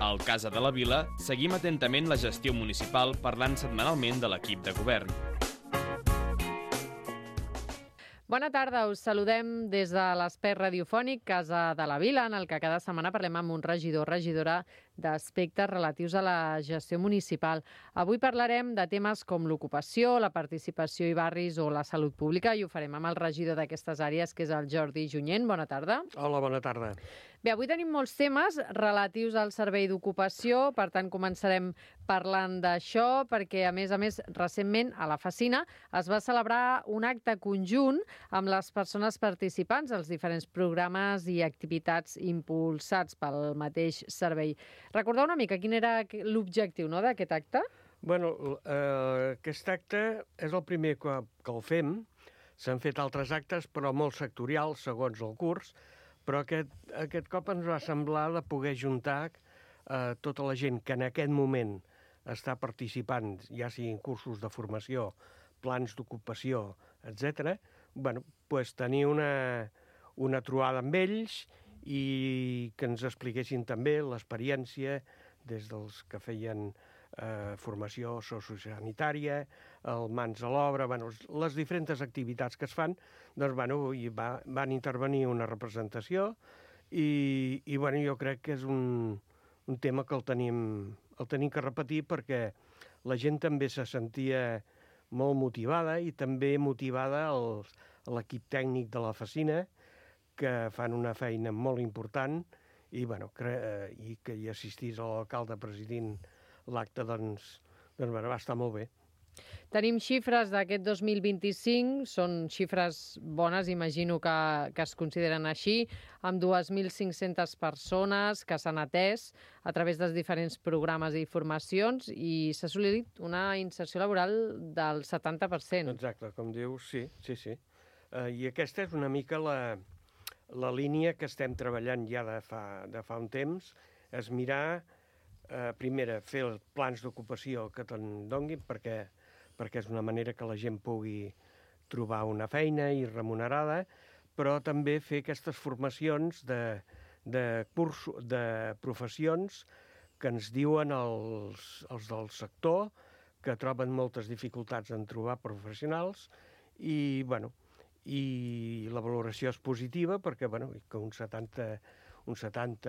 Al Casa de la Vila seguim atentament la gestió municipal parlant setmanalment de l'equip de govern. Bona tarda, us saludem des de l'espai radiofònic Casa de la Vila, en el que cada setmana parlem amb un regidor o regidora d'aspectes relatius a la gestió municipal. Avui parlarem de temes com l'ocupació, la participació i barris o la salut pública, i ho farem amb el regidor d'aquestes àrees, que és el Jordi Junyent. Bona tarda. Hola, bona tarda. Bé, avui tenim molts temes relatius al servei d'ocupació, per tant començarem parlant d'això, perquè a més, recentment a la Facina es va celebrar un acte conjunt amb les persones participants als diferents programes i activitats impulsats pel mateix servei. Recordeu una mica quin era l'objectiu, no, d'aquest acte? Bueno, aquest acte és el primer que el fem. S'han fet altres actes, però molt sectorials, segons el curs, però aquest cop ens va semblar de poder juntar tota la gent que en aquest moment està participant, ja siguin cursos de formació, plans d'ocupació, etc. Bueno, pues tenir una trobada amb ells i que ens expliquessin també l'experiència des dels que feien formació sociosanitària, el Mans a l'Obra, bueno, les diferents activitats que es fan, doncs, bueno, van intervenir una representació i bueno, jo crec que és un tema que el tenim que repetir perquè la gent també se sentia molt motivada i també motivada l'equip tècnic de la Facina, que fan una feina molt important i, bueno, i que hi assistís l'alcalde presidint l'acte, doncs va estar molt bé. Tenim xifres d'aquest 2025, són xifres bones, imagino que es consideren així, amb 2.500 persones que s'han atès a través dels diferents programes i formacions i s'ha assolit una inserció laboral del 70%. Exacte, com dius, sí. I aquesta és una mica la línia que estem treballant ja de fa un temps, és mirar, primera, fer els plans d'ocupació que te'n donguin, perquè és una manera que la gent pugui trobar una feina i remunerada, però també fer aquestes formacions de professions que ens diuen els del sector, que troben moltes dificultats en trobar professionals i, bueno, i la valoració és positiva perquè, bueno, que un 70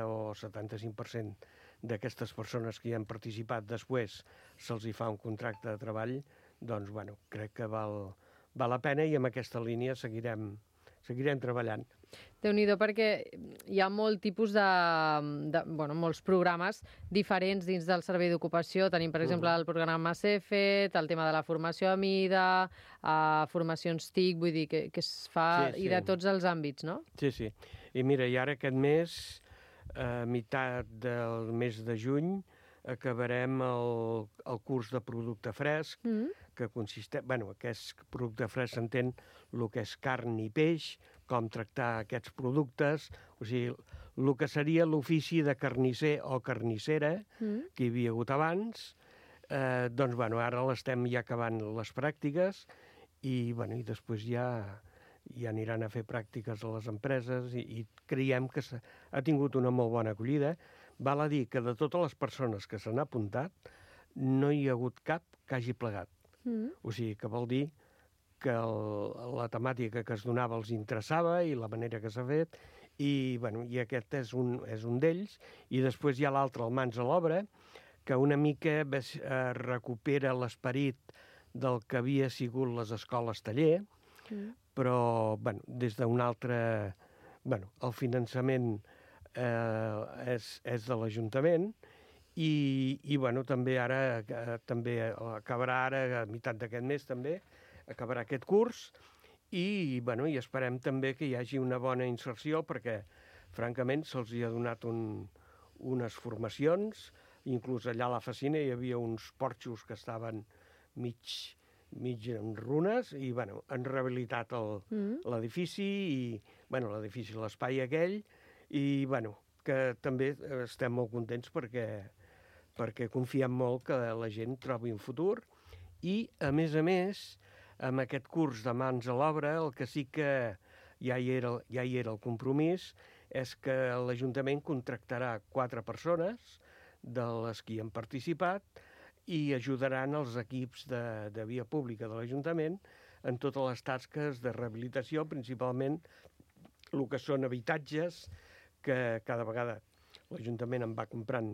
o 75% d'aquestes persones que hi han participat després se'ls hi fa un contracte de treball, doncs, bueno, crec que val la pena i amb aquesta línia seguirem treballant. Déu-n'hi-do, perquè hi ha molt tipus molts programes diferents dins del servei d'ocupació. Tenim, per exemple, el programa CEFET, el tema de la formació a mida, formacions TIC, vull dir que es fa i de tots els àmbits, no? Sí. I mira, i ara aquest mes, a meitat del mes de juny, acabarem el curs de producte fresc, que consisteix... Bueno, aquest producte fresc s'entén el que és carn i peix, com tractar aquests productes, o sigui, el que seria l'ofici de carnisser o carnissera que hi havia hagut abans, doncs, bueno, ara l'estem ja acabant les pràctiques i, bueno, i després ja aniran a fer pràctiques a les empreses i creiem que ha tingut una molt bona acollida. Val a dir que de totes les persones que s'han apuntat no hi ha hagut cap que hagi plegat. O sigui, que vol dir que la temàtica que es donava els interessava i la manera que s'ha fet i, bueno, i aquest és un d'ells. I després hi ha l'altre, el Mans a l'Obra, que una mica recupera l'esperit del que havia sigut les escoles taller, però, bueno, des d'un altre... Bueno, el finançament és de l'Ajuntament i bueno, també acabarà ara, a meitat d'aquest mes també, acabarà aquest curs i, bueno, i esperem també que hi hagi una bona inserció perquè, francament, se'ls hi ha donat unes formacions, inclús allà a la Facina hi havia uns porxos que estaven mig en runes i, bueno, han rehabilitat l'edifici i, bueno, l'edifici, l'espai aquell i, bueno, que també estem molt contents perquè confiem molt que la gent trobi un futur i, a més, amb aquest curs de Mans a l'Obra, el que sí que ja hi era el compromís és que l'Ajuntament contractarà 4 persones de les que hi han participat i ajudaran els equips de via pública de l'Ajuntament en totes les tasques de rehabilitació, principalment el que són habitatges, que cada vegada l'Ajuntament en va comprant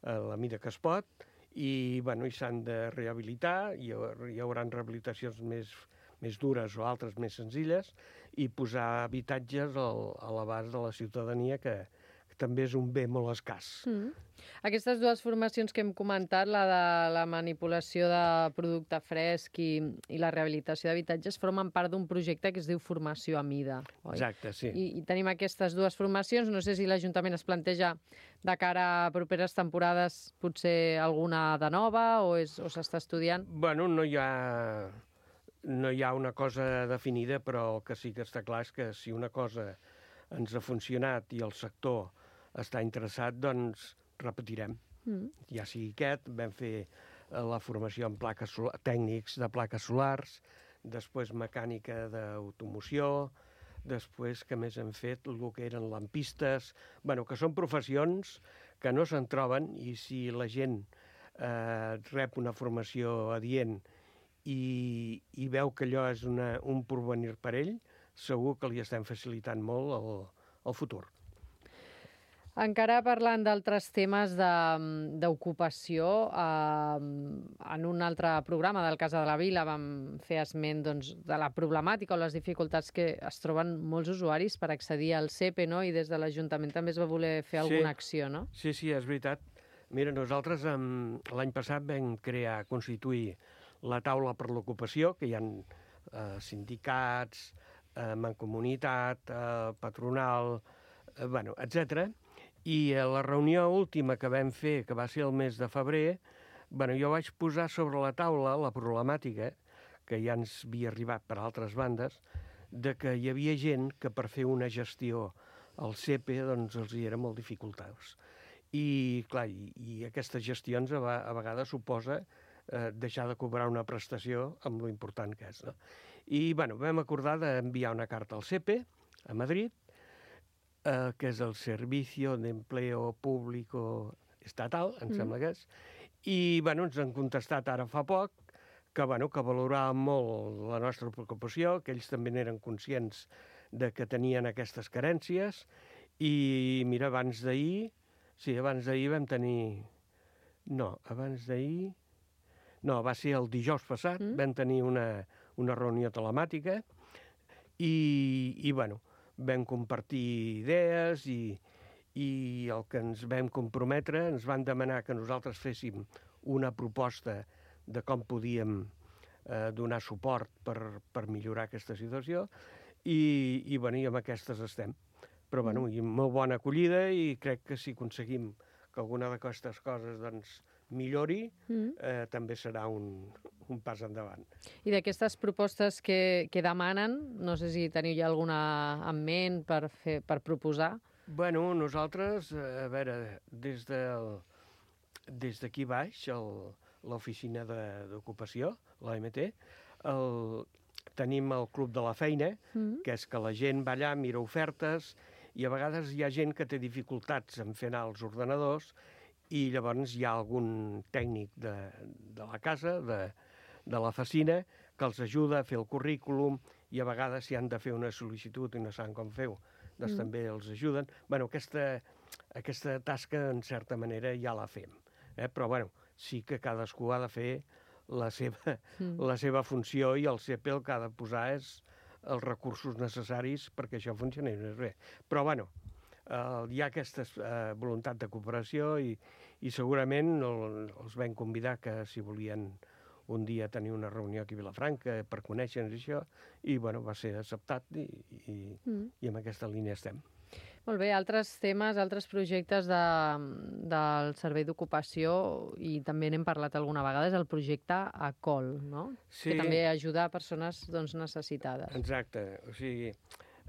a la mida que es pot, i s'han de rehabilitar, hi haurà rehabilitacions més dures o altres més senzilles, i posar habitatges a l'abast de la ciutadania, que també és un bé molt escàs. Aquestes dues formacions que hem comentat, la de la manipulació de producte fresc i la rehabilitació d'habitatges, formen part d'un projecte que es diu Formació a Mida, oi? Exacte, sí. I tenim aquestes dues formacions. No sé si l'Ajuntament es planteja de cara a properes temporades potser alguna de nova o s'està estudiant? Bueno, no hi ha una cosa definida, però el que sí que està clar és que si una cosa ens ha funcionat i el sector està interessat, doncs repetirem. Ja sigui aquest, vam fer la formació en tècnics de plaques solars, després mecànica d'automoció, després que més hem fet el que eren lampistes, que són professions que no se'n troben, i si la gent rep una formació adient i veu que allò és un porvenir per ell, segur que li estem facilitant molt el futur. Encara parlant d'altres temes d'ocupació, en un altre programa del Casa de la Vila vam fer esment de la problemàtica o les dificultats que es troben molts usuaris per accedir al CEPE, no? I des de l'Ajuntament també es va voler fer alguna acció, no? Sí, és veritat. Mira, nosaltres l'any passat vam constituir la taula per l'ocupació, que hi ha sindicats, mancomunitat, patronal, etc. I a la reunió última que vam fer, que va ser el mes de febrer, jo vaig posar sobre la taula la problemàtica, que ja ens havia arribat per altres bandes, de que hi havia gent que per fer una gestió al CEPE doncs els hi era molt dificultós. I, clar, i aquestes gestions a vegades suposa deixar de cobrar una prestació amb lo important que és, no? I, vam acordar d'enviar una carta al CEPE, a Madrid, que és el Servicio de Empleo Público Estatal, em sembla que és, i ens han contestat ara fa poc que valoraven molt la nostra preocupació, que ells també n'eren conscients de que tenien aquestes carències, i mira, abans d'ahir vam tenir... No, va ser el dijous passat, vam tenir una reunió telemàtica i vam compartir idees i el que ens vam comprometre, ens van demanar que nosaltres féssim una proposta de com podíem donar suport per millorar aquesta situació i amb aquestes estem. Però i molt bona acollida, i crec que si aconseguim que alguna d'aquestes coses millori, també serà un pas endavant. I d'aquestes propostes que demanen, no sé si teniu ja alguna en ment per proposar? Nosaltres, a veure, des d'aquí baix, l'oficina d'ocupació, l'OMT, tenim el Club de la Feina, que és que la gent va allà, mira ofertes, i a vegades hi ha gent que té dificultats en fer anar els ordenadors, i llavors hi ha algun tècnic de la casa, de la oficina, que els ajuda a fer el currículum, i a vegades si han de fer una sol·licitud i no saben com fer-ho, doncs també els ajuden. Aquesta tasca, en certa manera, ja la fem. Però, sí que cadascú ha de fer la seva funció, i el CEPE el que ha de posar és els recursos necessaris perquè això funcioni bé. Però, hi ha aquesta voluntat de cooperació i segurament els vam convidar que si volien un dia tenir una reunió aquí a Vilafranca per conèixer-nos això, i va ser acceptat i en aquesta línia estem. Molt bé, altres temes, altres projectes del Servei d'Ocupació, i també n'hem parlat alguna vegada, és el projecte ACOL, no? Sí. Que també ajuda a persones necessitades. Exacte, o sigui,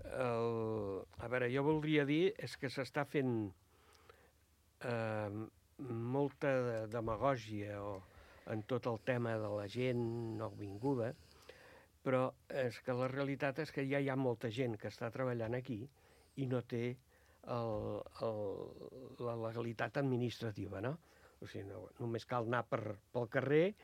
a veure, jo voldria dir és que s'està fent molta demagògia en tot el tema de la gent nouvinguda, però és que la realitat és que ja hi ha molta gent que està treballant aquí i no té la legalitat administrativa, no? O sigui, només cal anar pel carrer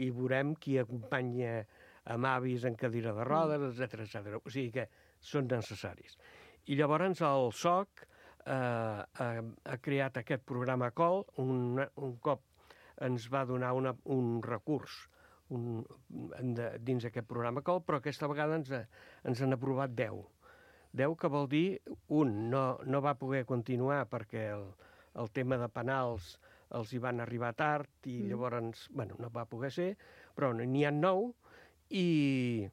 i veurem qui acompanya amb avis en cadira de rodes, etc. O sigui que són necessaris. I llavors el SOC ha creat aquest programa COL, un cop ens va donar un recurs dins aquest programa COL, però aquesta vegada ens han aprovat 10. 10 que vol dir, no va poder continuar perquè el tema de penals els hi van arribar tard i llavors, no va poder ser, però n'hi ha 9 i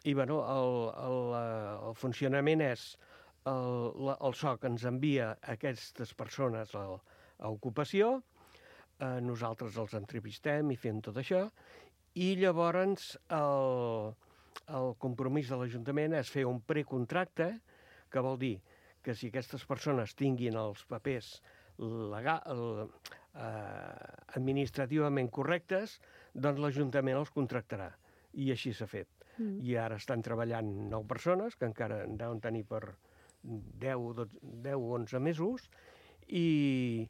el funcionament és el SOC ens envia aquestes persones a ocupació, nosaltres els entrevistem i fem tot això, i llavors el compromís de l'Ajuntament és fer un precontracte, que vol dir que si aquestes persones tinguin els papers administrativament correctes, doncs l'Ajuntament els contractarà. I així s'ha fet. I ara estan treballant 9 persones, que encara en deuen tenir per 10 o 11 mesos, i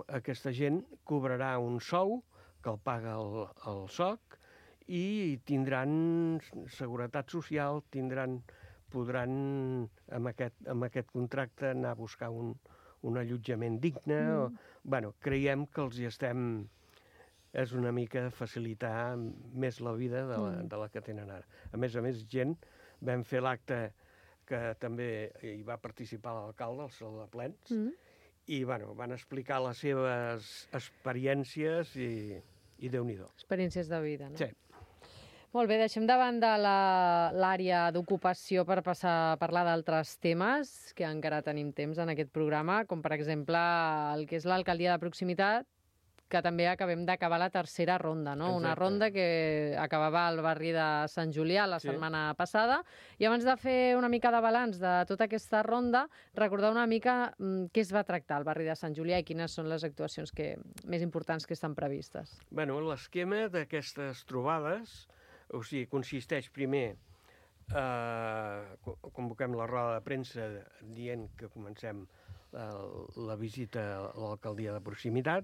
aquesta gent cobrarà un sou que el paga el SOC i tindran seguretat social, podran amb aquest contracte anar a buscar un allotjament digne. Creiem que els hi estem... És una mica facilitar més la vida de la que tenen ara. A més, gent, vam fer l'acte que també hi va participar l'alcalde, el Saló de Plens, i van explicar les seves experiències i Déu-n'hi-do. Experiències de vida, no? Sí. Molt bé, deixem de banda l'àrea d'ocupació per passar a parlar d'altres temes que encara tenim temps en aquest programa, com per exemple el que és l'alcaldia de proximitat, que també acabem d'acabar la tercera ronda, no? Exacte. Una ronda que acabava al barri de Sant Julià la setmana passada. I abans de fer una mica de balanç de tota aquesta ronda, recordar una mica què es va tractar al barri de Sant Julià i quines són les actuacions més importants que estan previstes. L'esquema d'aquestes trobades, o sigui, consisteix primer, convoquem la roda de premsa dient que comencem la visita a l'alcaldia de proximitat.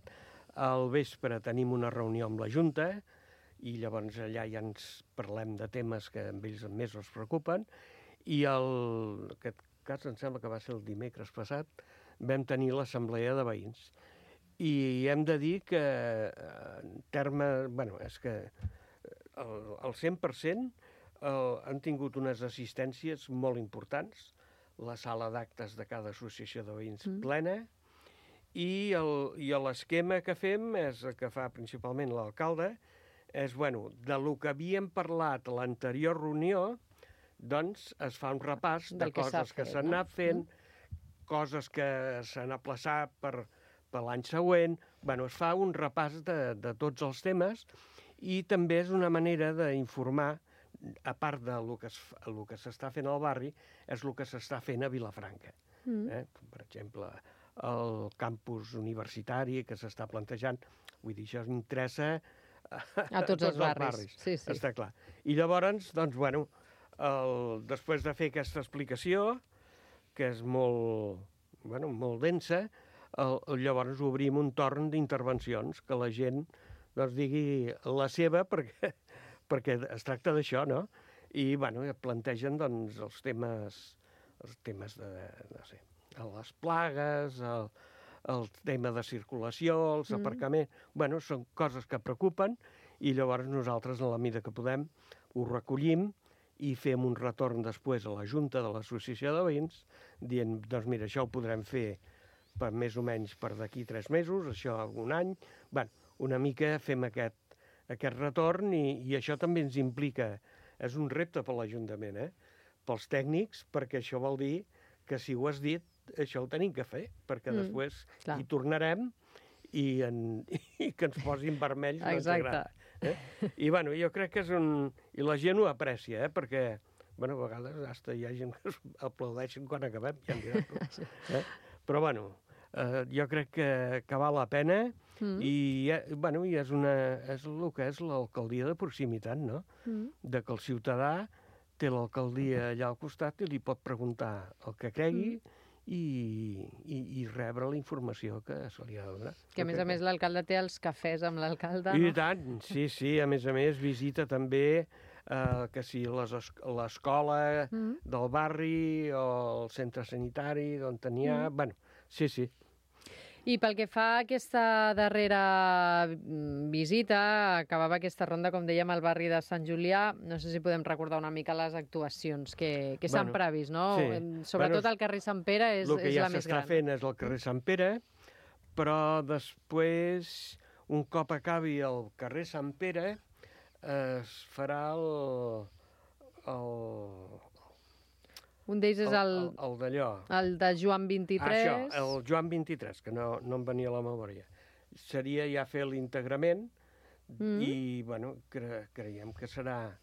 Al vespre tenim una reunió amb la Junta i llavors allà ja ens parlem de temes que amb ells més els preocupen. I en aquest cas, em sembla que va ser el dimecres passat, vam tenir l'assemblea de veïns. I hem de dir que en termes... és que el 100% han tingut unes assistències molt importants, la sala d'actes de cada associació de veïns plena, i l'esquema que fem, que fa principalment l'alcalde, és, de lo que havíem parlat a l'anterior reunió, doncs es fa un repàs de coses que s'han anat fent, coses que s'han aplaçat per l'any següent. Es fa un repàs de tots els temes i també és una manera d'informar, a part del que s'està fent al barri, és el que s'està fent a Vilafranca. Per exemple, el campus universitari que s'està plantejant. Vull dir, això interessa a tots els barris. Sí. Està clar. I llavors, després de fer aquesta explicació, que és molt densa, llavors obrim un torn d'intervencions, que la gent digui la seva, perquè es tracta d'això, no? I plantegen els temes de, no sé, les plagues, el tema de circulació, els aparcaments... Són coses que preocupen i llavors nosaltres, en la mida que podem, ho recollim i fem un retorn després a la Junta de l'Associació de Veïns dient, mira, això ho podrem fer per més o menys per d'aquí 3 mesos, això un any... Una mica fem aquest retorn i això també ens implica... És un repte per l'Ajuntament, pels tècnics, perquè això vol dir que si ho has dit, això ho tenim que fer, perquè després hi tornarem i que ens posin vermells no ens agrada. I jo crec que és I la gent ho aprecia, perquè a vegades hi ha gent que aplaudeixen quan acabem, ja em diràs. Però jo crec que val la pena i és el que és l'alcaldia de proximitat, no? De que el ciutadà té l'alcaldia allà al costat i li pot preguntar el que cregui i rebre la informació que se li ha de donar. Que a més l'alcalde té els cafès amb l'alcalde, I no? tant, sí, a més visita també que si l'escola del barri o el centre sanitari d'on tenia... Bueno, sí. I pel que fa a aquesta darrera visita, acabava aquesta ronda, com dèiem, al barri de Sant Julià. No sé si podem recordar una mica les actuacions que s'han previst, no? Sí. Sobretot al carrer Sant Pere és la més gran. El que ja s'està fent és el carrer Sant Pere, però després, un cop acabi el carrer Sant Pere, es farà un d'ells és el d'allò. El de Joan 23. Això, el Joan 23, que no em venia a la memòria. Seria ja fer l'integrament i, bueno, creiem que serà...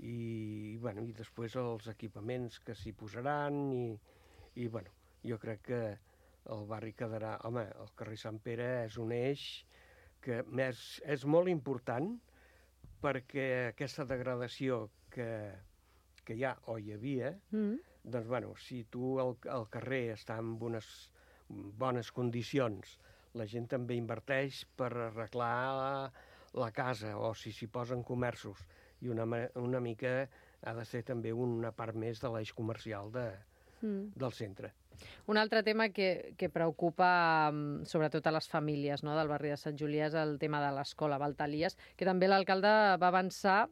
I després els equipaments que s'hi posaran i, bueno, jo crec que el barri quedarà... Home, el carrer Sant Pere és un eix que és molt important perquè aquesta degradació que hi ha o hi havia... Doncs, bueno, si tu el carrer està en unes bones condicions, la gent també inverteix per arreglar la casa, o si s'hi posen comerços. I una mica ha de ser també una part més de l'eix comercial del centre. Un altre tema que preocupa sobretot a les famílies, no?, del barri de Sant Julià és el tema de l'escola Baltalies, que també l'alcalde va avançar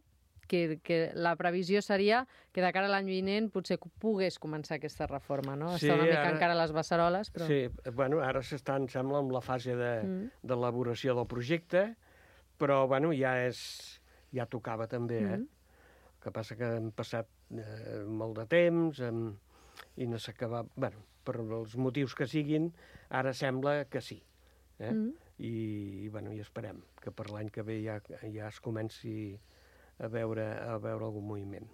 que la previsió seria que de cara a l'any vinent potser pogués començar aquesta reforma, no? Sí, està una mica encara a les beceroles, però... Sí, bueno, ara s'està, em sembla, en la fase d'elaboració del projecte, però, bueno, ja tocava també, El que passa que hem passat molt de temps i no s'acaba... Bueno, per els motius que siguin, ara sembla que sí. I esperem que per l'any que ve ja es comenci a veure algun moviment.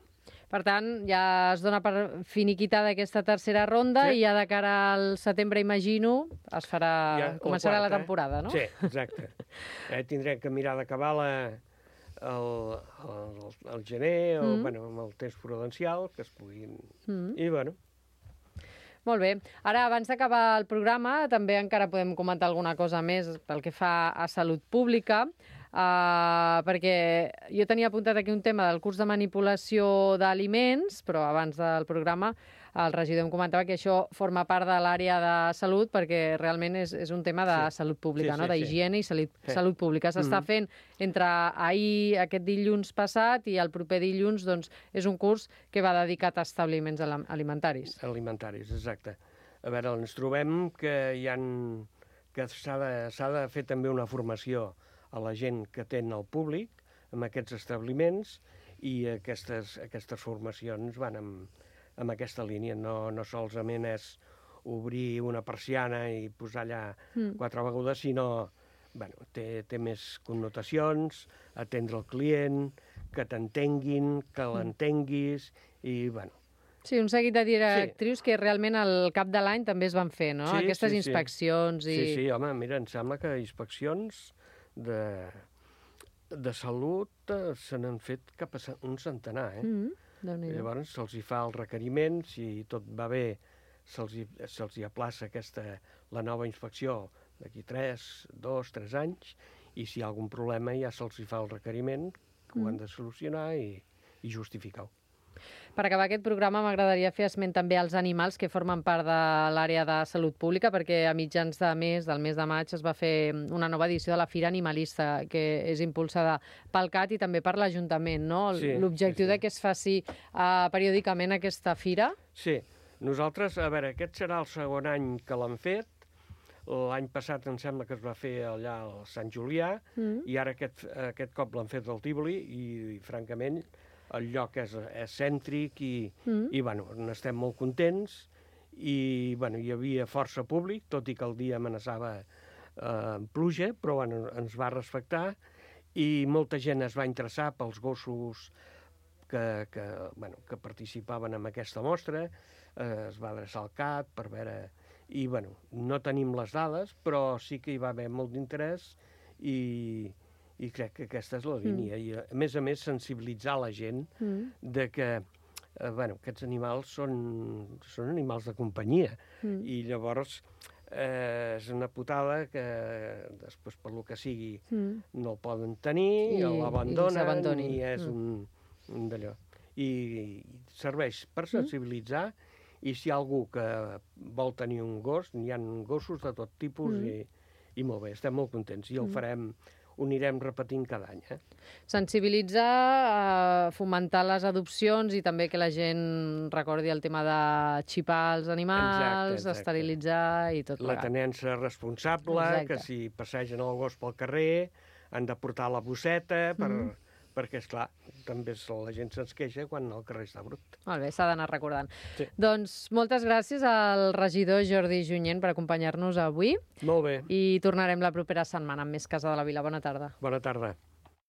Per tant, ja es dona per finiquitada aquesta tercera ronda i ja de cara al setembre, imagino, començarà la temporada, no? Sí, exacte. Tindrem que mirar d'acabar el gener, amb el temps prudencial, que es puguin... I, bueno... Molt bé. Ara, abans d'acabar el programa, també encara podem comentar alguna cosa més pel que fa a salut pública, perquè jo tenia apuntat aquí un tema del curs de manipulació d'aliments, però abans del programa el regidor em comentava que això forma part de l'àrea de salut perquè realment és un tema de salut pública, no? D'higiene i salut pública. S'està fent entre aquest dilluns passat i el proper dilluns, doncs, és un curs que va dedicat a establiments alimentaris. Alimentaris, exacte. A veure, ens trobem que s'ha de fer també una formació a la gent que atén al públic en aquests establiments i aquestes formacions van en aquesta línia. No solament és obrir una persiana i posar allà 4 begudes, sinó té més connotacions, atendre el client, que t'entenguin, que l'entenguis i, bueno... Sí, un seguit de directrius que realment al cap de l'any també es van fer, no? Aquestes inspeccions i... Sí, home, mira, em sembla que inspeccions de salut se n'han fet cap a un centenar, Llavors se'ls hi fa el requeriment, si tot va bé, se'ls hi aplaça la nova inspecció d'aquí 2-3 anys, i si hi ha algun problema ja se'ls hi fa el requeriment, que ho han de solucionar i justificar-ho. Per acabar aquest programa m'agradaria fer esment també als animals que formen part de l'àrea de salut pública, perquè a mitjans del mes de maig es va fer una nova edició de la Fira Animalista, que és impulsada pel CAT i també per l'Ajuntament, no? L'objectiu de que es faci periòdicament aquesta fira? Sí, nosaltres, a veure, aquest serà el segon any que l'han fet. L'any passat em sembla que es va fer allà al Sant Julià i ara aquest cop l'han fet al Tívoli i francament el lloc és cèntric i bueno, n'estem molt contents i bueno, hi havia força públic, tot i que el dia amenaçava pluja, però bueno, ens va respectar i molta gent es va interessar pels gossos que participaven en aquesta mostra, es va adreçar al CAT per veure... I bueno, no tenim les dades, però sí que hi va haver molt d'interès i crec que aquesta és la línia. I a més sensibilitzar la gent de que aquests animals són animals de companyia. I llavors és una putada que després, per lo que sigui, no el poden tenir, l'abandonen i és un d'allò. I serveix per sensibilitzar, i si hi ha algú que vol tenir un gos, n'hi ha gossos de tot tipus i molt bé, estem molt contents. I ho anirem repetint cada any. Sensibilitzar, fomentar les adopcions i també que la gent recordi el tema de xipar els animals, esterilitzar i tot plegat. La tenença responsable, que si passegen el gos pel carrer han de portar la bosseta perquè, esclar, també la gent se'ns queixa quan el carrer està brut. Molt bé, s'ha d'anar recordant. Sí. Doncs moltes gràcies al regidor Jordi Junyent per acompanyar-nos avui. Molt bé. I tornarem la propera setmana amb més Casa de la Vila. Bona tarda. Bona tarda.